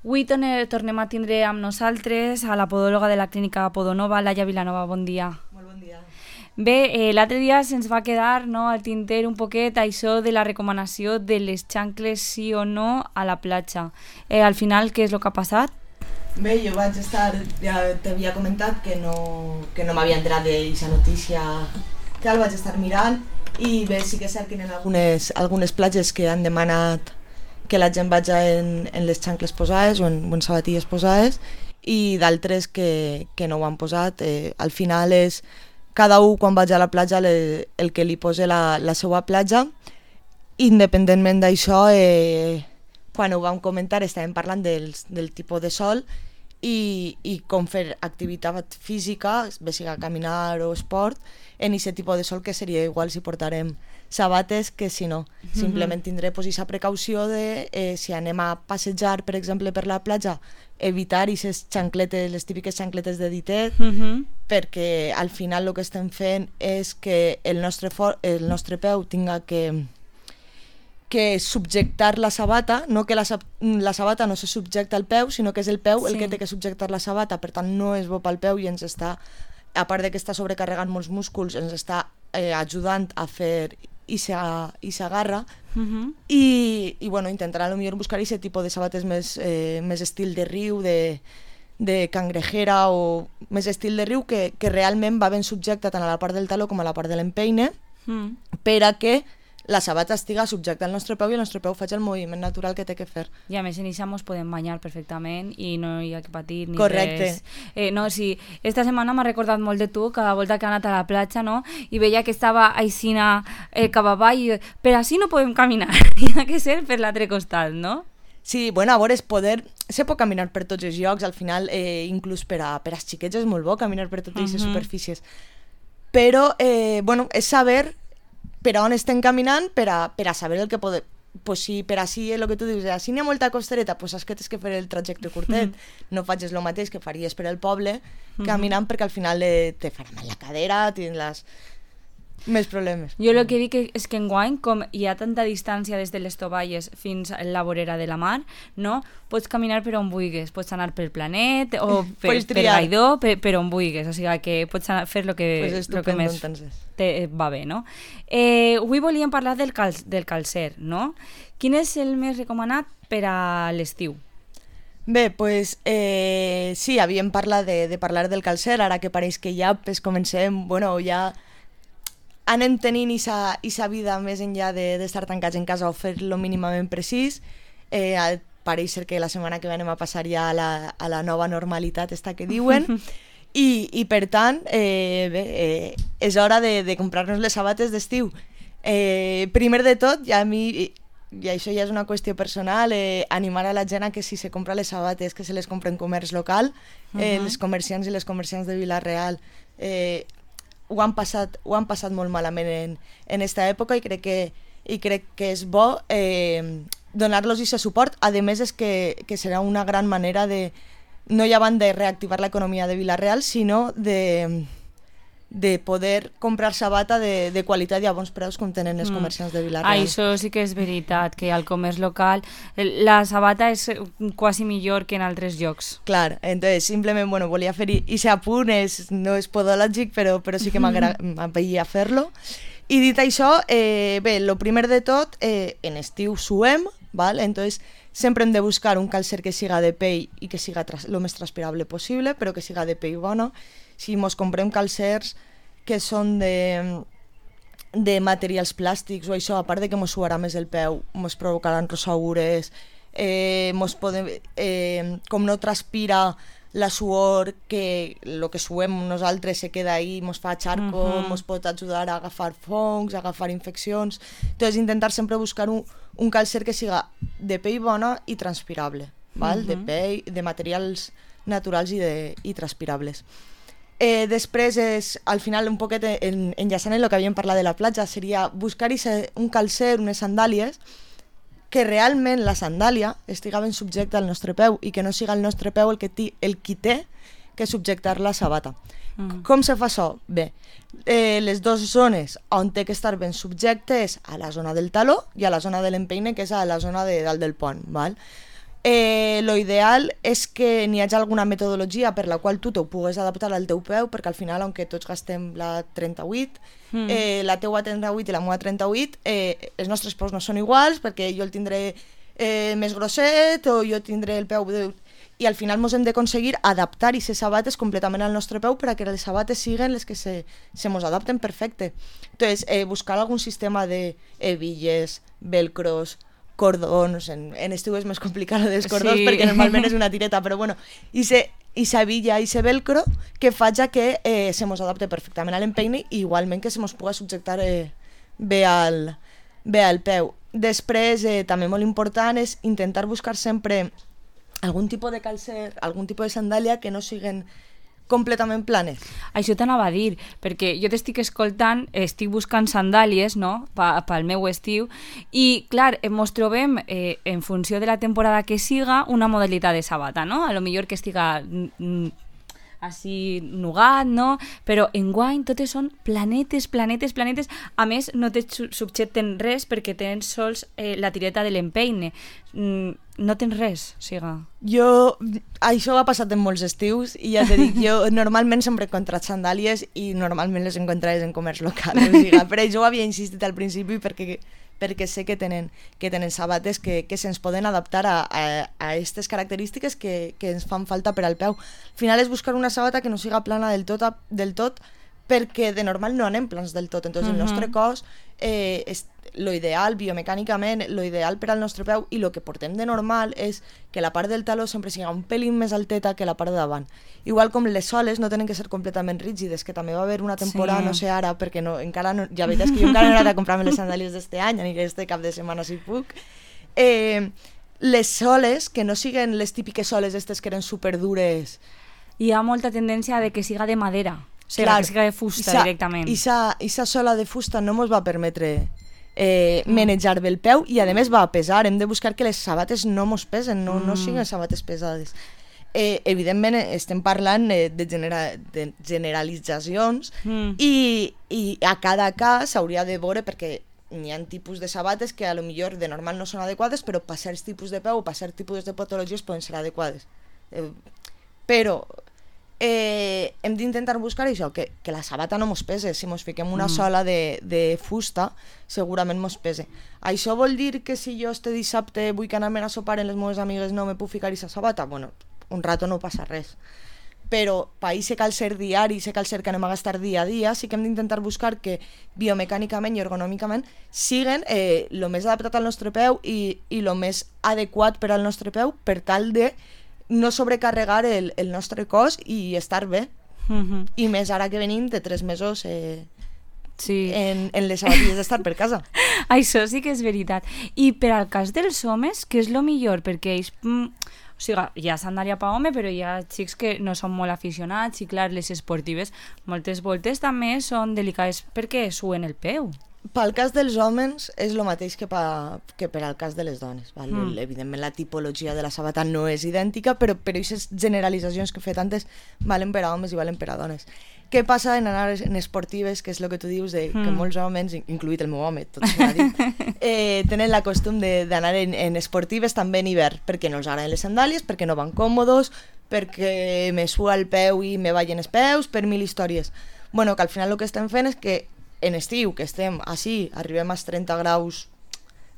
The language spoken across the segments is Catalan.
Avui tornem a tindre amb nosaltres a la podòloga de la clínica Podonova, Laia Vilanova. Bon dia. Molt bon dia. Bé, l'altre dia se'ns va quedar al tinter un poquet això de la recomanació de les xancles sí o no a la platja. Al final, què és el que ha passat? Bé, jo vaig estar, ja t'havia comentat que no m'havia entrat d'aquesta notícia, que el vaig estar mirant, i bé, sí que és cert que hi ha algunes platges que han demanat que la gent vagi en les xancles posades o en sabatilles posades, i d'altres que no ho han posat. Al final és cada un quan vaig a la platja el que li posa la seva platja. Independentment d'això, quan ho vam comentar estàvem parlant del tipus de sol i com fer activitat física, bé siga caminar o esport, en aquest tipus de sol, que seria igual si portarem sabates que si no. Simplement tindré aquesta precaució de si anem a passejar, per exemple, per la platja, evitar aquestes xancletes, les típiques xancletes de ditet, perquè al final el que estem fent és que el nostre peu tinga que subjectar la sabata, no que la sabata no se subjecta al peu, sinó que és el peu el que té que subjectar la sabata, per tant no és bo pel peu i ens està, a part de que està sobrecarregant molts músculs, ens està ajudant a fer i s'agarra, i bueno, intentarà potser buscar aquest tipus de sabates més estil de riu, de cangrejera, o més estil de riu, que realment va ben subjecta tant a la part del taló com a la part de l'empeine, per a que la sabata estiga subjecta al nostre peu i el nostre peu faci el moviment natural que té que fer. I a més en això ens podem banyar perfectament i no hi ha que patir ni Correcte. res. No, sí, esta setmana m'ha recordat molt de tu, cada volta que he anat a la platja, no? I veia que estava aixina cap avall, i per així no podem caminar, hi ha que ser per l'altre costat, no? Sí, bueno, a veure, se pot caminar per tots els llocs, al final, inclús per als xiquets és molt bo caminar per totes aquestes superfícies. Però, bueno, és saber per on estem caminant per a saber el que podem. Pues si per així el que tu dius, si n'hi ha molta costereta, pues saps que tens que fer el trajecte curtet. No facis el mateix que faries per al poble caminant, perquè al final te farà mal la cadera, tindràs més problemes. Jo el que dic és que enguany, com hi ha tanta distància des de les tovalles fins a la vorera de la mar, no? Pots caminar per on vulguis, pots anar pel Planet o per Gaidó, per on vulguis, o sigui que pots fer el que més va bé, no? Avui volíem parlar del calcer, no? Quin és el més recomanat per a l'estiu? Bé, doncs sí, havíem parlat de parlar del calcer, ara que pareix que ja comencem, bueno, ja anem tenint aquesta vida més enllà d'estar tancats en casa o fer-lo mínimament precís. Pareix ser que la setmana que ve anem a passar ja a la nova normalitat esta que diuen, i per tant bé, és hora de comprar-nos les sabates d'estiu. Primer de tot, ja a mi, i això ja és una qüestió personal, animar a la gent a que si se compra les sabates que se les compra en comerç local. Els comerciants i les comerciants de Vila-real ho han passat molt malament en esta època, i crec que és bo donar-los aquest suport. A més, és que serà una gran manera de, no ja van de reactivar l'economia de Vila-real, sinó de poder comprar sabata de qualitat i a bons preus com tenen els comerciants de Vila-real. Això sí que és veritat, que al comerç local la sabata és quasi millor que en altres llocs. Clar, entonces simplement volia fer aquest apunt, no és podològic, però sí que m'agradaria fer-lo. I dit això, bé, el primer de tot, en estiu suem, val? Entonces sempre hem de buscar un calcer que siga de pell i que siga el més transpirable possible, però que siga de pell bona. Si mos comprem calcers que són de materials plàstics o això, a part de que mos suarà més el peu, mos provocaran rosaures, com no transpira la suor, que el que suem nosaltres se queda ahí, mos fa xarco, mos pot ajudar a agafar fongs, a agafar infeccions. Entonces intentar sempre buscar un calcer que siga de pell bona i transpirable, val? De pell, de materials naturals i transpirables. Després, al final, un poquet enllaçant en el que havíem parlat de la platja, seria buscar un calcer, unes sandàlies, que realment la sandàlia estiga ben subjecta al nostre peu i que no siga el nostre peu el qui té que subjectar la sabata. Com se fa això? Bé, les dues zones on té que estar ben subjecte és a la zona del taló i a la zona de l'empeine, que és a la zona de dalt del pont, val? Lo ideal és que n'hi hagi alguna metodologia per la qual tu t'ho pugues adaptar al teu peu, perquè al final, aunque tots gastem la 38, la teua 38 i la meva 38, els nostres peus no són iguals, perquè jo el tindré més grosset o jo tindré el peu... I al final ens hem d'aconseguir adaptar aquestes sabates completament al nostre peu per a que les sabates siguin les que se mos adapten perfecte. Entonces, buscar algun sistema de hebilles, velcros, cordons, en estiu és més complicat dels cordons perquè normalment és una tireta, però bueno, i sa villa i sa velcro que faig que se mos adapte perfectament a l'empeine i igualment que se mos pugui subjectar bé al peu. Després, també molt important és intentar buscar sempre algun tipus de calcer, algun tipus de sandàlia que no siguin completament planes. Això t'anava a dir, perquè jo t'estic escoltant, estic buscant sandàlies, no?, pel meu estiu, i, clar, ens trobem, en funció de la temporada que siga, una modalitat de sabata, no? A lo millor que estiga així nugat, no? Però enguany totes són planetes. A més, no te subjecten res perquè tens sols la tireta de l'empeine. No tens res, siga. Això ha passat en molts estius i ja t'he dit, jo normalment sempre he encontrat sandàlies i normalment les encontraves en comerç local. O sigui, per això ho havia insistit al principi perquè sé que tenen sabates que se'ns poden adaptar a aquestes característiques que ens fan falta per al peu. Al final és buscar una sabata que no siga plana del tot perquè de normal no anem plans del tot. Entonces, el nostre cos, lo ideal, biomecànicament, lo ideal per al nostre peu i el que portem de normal és que la part del taló sempre siga un pelín més alteta que la part de davant. Igual com les soles no tenen que ser completament rígides, que també va haver una temporada, no sé ara, perquè encara no, ja veuràs que jo encara no he anat a comprar-me les sandàlies d'este any, aniré este cap de setmana si puc. Les soles, que no siguen les típiques soles estes que eren superdures. Hi ha molta tendència de que siga de madera, o sigui, que siga de fusta directament. I sa sola de fusta no mos va permetre manejar bé el peu i a més va pesar. Hem de buscar que les sabates no mos pesen, no siguin sabates pesades. Evidentment estem parlant de generalitzacions i a cada cas s'hauria de veure perquè hi ha tipus de sabates que a lo millor de normal no són adequades, però per certs tipus de peu o per certs tipus de patologies poden ser adequades. Però hem d'intentar buscar això, que la sabata no mos pese. Si mos fiquem una sola de fusta, segurament mos pese. Això vol dir que si jo este dissabte vull anar-me'n a sopar amb les meves amigues no me puc ficar aquesta sabata? Bueno, un rato no passa res. Però per aquest calcer diari, aquest calcer que anem a gastar dia a dia, sí que hem d'intentar buscar que biomecànicament i ergonòmicament siguen el més adaptat al nostre peu i el més adequat per al nostre peu per tal de no sobrecarregar el nostre cos i estar bé. I més ara que venim de 3 mesos en les sabatilles d'estar per casa. Això sí que és veritat. I per al cas dels homes, què és el millor? Perquè ells... O sigui, hi ha sandàlia per home, però hi ha xics que no són molt aficionats i, clar, les esportives moltes voltes també són delicades perquè suen el peu. Pel cas dels homes és el mateix que per al cas de les dones. Val? Evidentment la tipologia de la sabata no és idèntica, però aquestes generalitzacions que he fet antes valen per a homes i valen per a dones. Què passa en anar en esportives, que és el que tu dius, que molts homes, incluït el meu home, tot s'ha dit, tenen la costum d'anar en esportives també en hivern, perquè no els agraden les sandàlies, perquè no van còmodes, perquè me sua el peu i me ballen els peus, per 1000 històries. Bueno, que al final el que estem fent és que en estiu, que estem així, arribem als 30 graus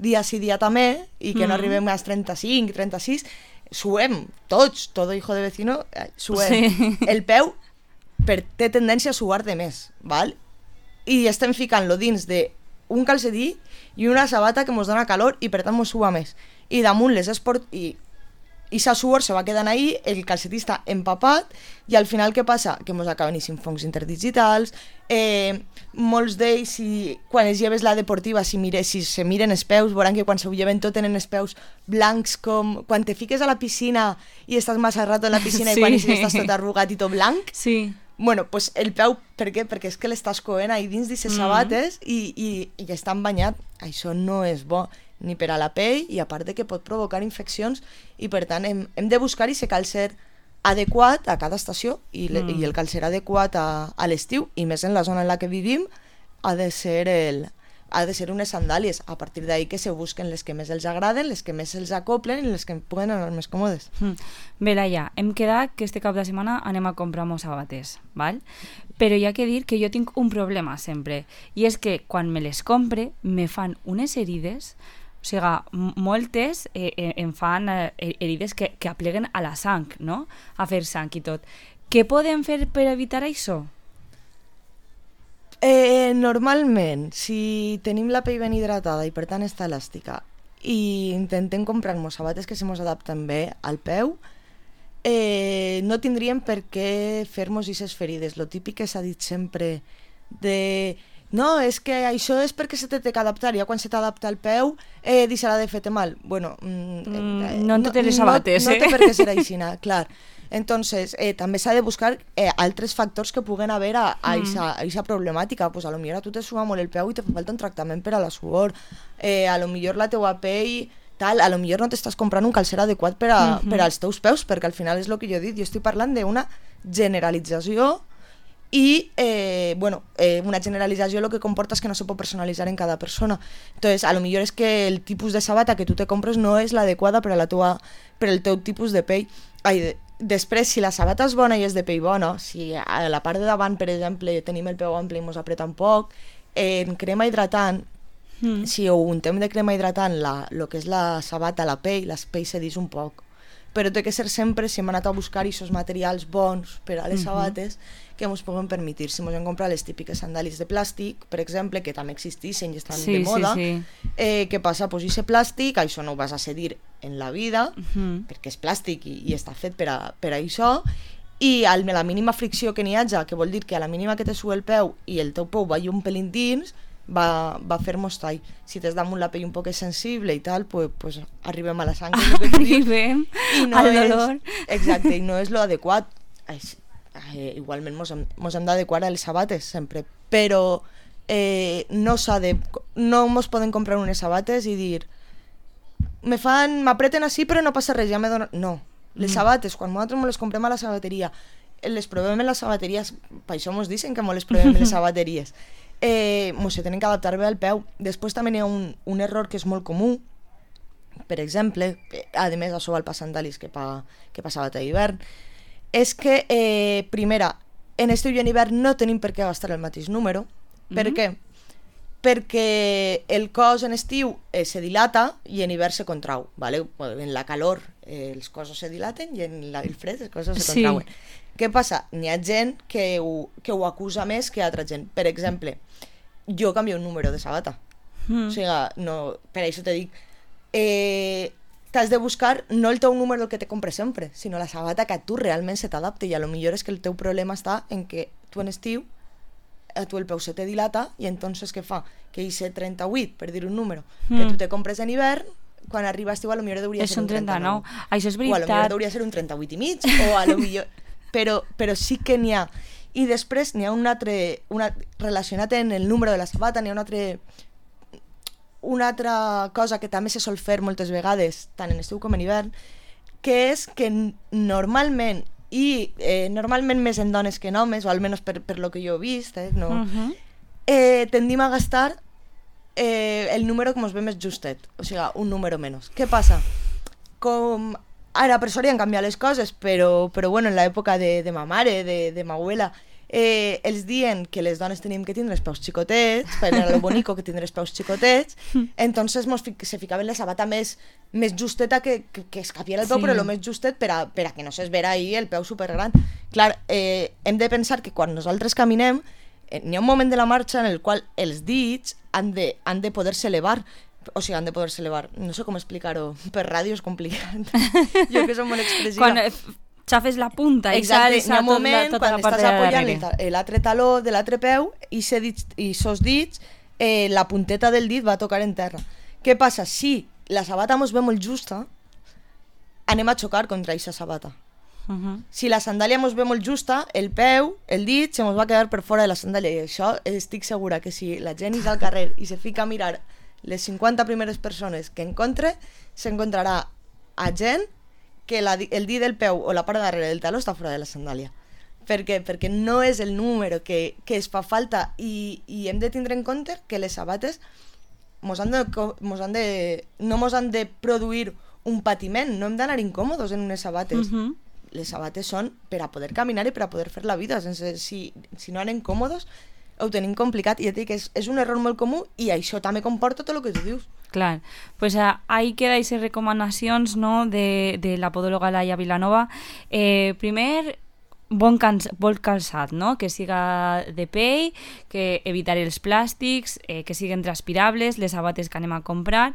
dia sí dia també, i que no arribem als 35, 36, suem, tots, todo hijo de vecino, suem. Sí. El peu té tendència a suar de més, val? I estem ficant-lo dins d'un calcetí i una sabata que ens dona calor i per tant ens sua més. I damunt les i sa suor se va quedant ahí, el calcetí està empapat i al final què passa? Que ens acaben eixint fongs interdigitals, molts d'ells, quan es lleves la deportiva, si se miren els peus, veuran que quan se ho lleven tot tenen els peus blancs, com quan te fiques a la piscina i estàs massa rato en la piscina i quan estàs tot arrugat i tot blanc. Sí. Bueno, pues el peu, per què? Perquè és que l'estàs coent ahí dins d'aquestes sabates i estan banyat. Això no és bo ni per a la pell i a part de que pot provocar infeccions i per tant hem de buscar aquest calcer adequat a cada estació i el calcer adequat a l'estiu i més en la zona en la que vivim ha de ser ha de ser unes sandàlies. A partir d'ahí que se busquen les que més els agraden, les que més els acoplen i les que puguen anar més còmodes. Bé, Laia, hem quedat que este cap de setmana anem a comprar mos sabates, val? Però hi ha que dir que jo tinc un problema sempre, i és que quan me les compre me fan unes herides, o sigui, moltes em fan herides que apleguen a la sang, no? A fer sang i tot. Què podem fer per evitar això? Normalment, si tenim la pell ben hidratada i per tant està elàstica i intentem comprar-nos sabates que se mos adapten bé al peu, no tindríem per què fer-nos aquestes ferides. Lo típic que s'ha dit sempre de... No, és que això és perquè se té que adaptar, ja quan se t'adapta al peu deixarà de fer-te mal. Bueno, no en totes les sabates, no té per què ser així, clar. Entonces, també s'ha de buscar altres factors que puguen haver a aquesta problemàtica. Pues a lo millor a tu te suba molt el peu i te fa falta un tractament per a la suor. A lo millor la teua pell... Tal, a lo millor no t'estàs comprant un calcer adequat per als teus peus, perquè al final és el que jo he dit, jo estic parlant d'una generalització i, una generalització el que comporta és que no se pot personalitzar en cada persona. Entonces, a lo millor és que el tipus de sabata que tu te compres no és l'adequada per al teu tipus de pell. Després, si la sabata és bona i és de pell bona, si a la part de davant, per exemple, tenim el peu ample i mos apreta un poc, en crema hidratant, si ho untem de crema hidratant el que és la sabata, la pell cedís un poc. Però té que ser sempre, si hem anat a buscar aquests materials bons per a les sabates que ens puguen permetre. Si ens hem comprat les típiques sandàlies de plàstic, per exemple, que també existeixen i estan de moda, què passa? Pues aquest plàstic, això no ho vas a cedir en la vida, perquè és plàstic i està fet per a això, i a la mínima fricció que n'hi hagi, que vol dir que a la mínima que te sube el peu i el teu peu va un pelín dins, va fer-nos tall. Si tens damunt la pell un poc sensible i tal, pues arribem a la sang. Arribem al dolor. Exacte, i no és lo adequat. Igualment mos hem d'adequar a les sabates sempre, però no mos poden comprar unes sabates i dir m'apreten així però no passa res, ja me donen... No, les sabates, quan nosaltres les comprem a la sabateria, les provem en les sabateries, per això mos dicen que mos les provem en les sabateries, mos se tenen que adaptar bé al peu. Després també hi ha un error que és molt comú, per exemple, a més això val per sandàlies que per sabata d'hivern, és que, primera, en estiu i en hivern no tenim per què gastar el mateix número. Per què? Perquè el cos en estiu se dilata i en hivern se contrau, ¿vale? En la calor els cossos se dilaten i en el fred els cossos se contrauen. Què passa? N'hi ha gent que ho acusa més que altra gent. Per exemple, jo canvio un número de sabata. O sigui, no, per això te dic, t'has de buscar no el teu número que te compres sempre, sinó la sabata que a tu realment se t'adapte, i a lo millor és que el teu problema està en que tu en estiu a tu el peu se te dilata i entonces què fa? Que hice 38, per dir un número, que tu te compres en hivern, quan arriba estiu a lo millor hauria ser un 39. Això és veritat. O a lo millor hauria ser un 38 i mig, o a lo millor... Però sí que n'hi ha. I després n'hi ha relacionat en el número de la sabata, n'hi ha una altra cosa que també se sol fer moltes vegades, tant en estiu com en hivern, que és que normalment, i normalment més en dones que en homes, o almenys per lo que jo he vist, tendim a gastar el número que ens ve més justet, o sigui, un número menys. Què passa? Com ara per sort ja han canviat les coses, però bueno, en l'època de ma mare, de ma abuela, els diuen que les dones tenim que tindre els peus xicotets, per a lo bonico que tindre els peus xicotets, entonces se ficaven la sabata més justeta que es capiera el peu, però el més justet per a que no s'es vera ahí el peu supergran. Clar, hem de pensar que quan nosaltres caminem, n'hi ha un moment de la marxa en el qual els dits han de poder-se elevar. O sigui, han de poder-se elevar. No sé com explicar-ho. Per ràdio és complicat. Jo que som molt expressiva. Quan xafes la punta i salsa tota la part de darrere. Exacte, n'hi ha un moment quan estàs apoyant l'altre taló de l'altre peu i sos dits, la punteta del dit va a tocar en terra. Què passa? Si la sabata mos ve molt justa, anem a xocar contra aquesta sabata. Si la sandàlia mos ve molt justa, el peu, el dit, se mos va quedar per fora de la sandàlia. I això estic segura que si la gent és al carrer i se fica a mirar les 50 primeres persones que s'encontrarà a gent que el dit del peu o la part de darrere del taló està fora de la sandàlia. perquè no és el número que es fa falta i hem de tindre en compte que les sabates no mos han de produir un patiment, no hem d'anar incòmodes en unes sabates. Les sabates són per a poder caminar i per a poder fer la vida. Si no anem còmodes, ho tenim complicat. I ja dic que és un error molt comú i això també comporta tot el que tu dius. Clar, pues ahí queda esas recomanacions, no, de la podòloga Laia Vilanova. Primer, bon calçat, no? Que siga de pell, que evitar els plàstics, que siguin transpirables, les sabates que anem a comprar,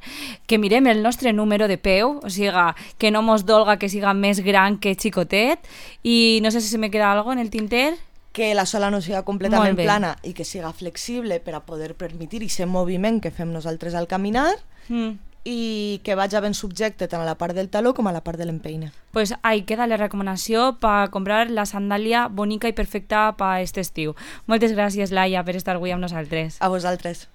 que mirem el nostre número de peu, o sigui, que no mos dolga que siga més gran que xicotet, i no sé si se me queda algo en el tinter. Que la sola no siga completament plana i que siga flexible per a poder permetir aquest moviment que fem nosaltres al caminar i que vagi ben subjecte tant a la part del taló com a la part de l'empeine. Pues ahí queda la recomanació per comprar la sandàlia bonica i perfecta per aquest estiu. Moltes gràcies, Laia, per estar avui amb nosaltres. A vosaltres.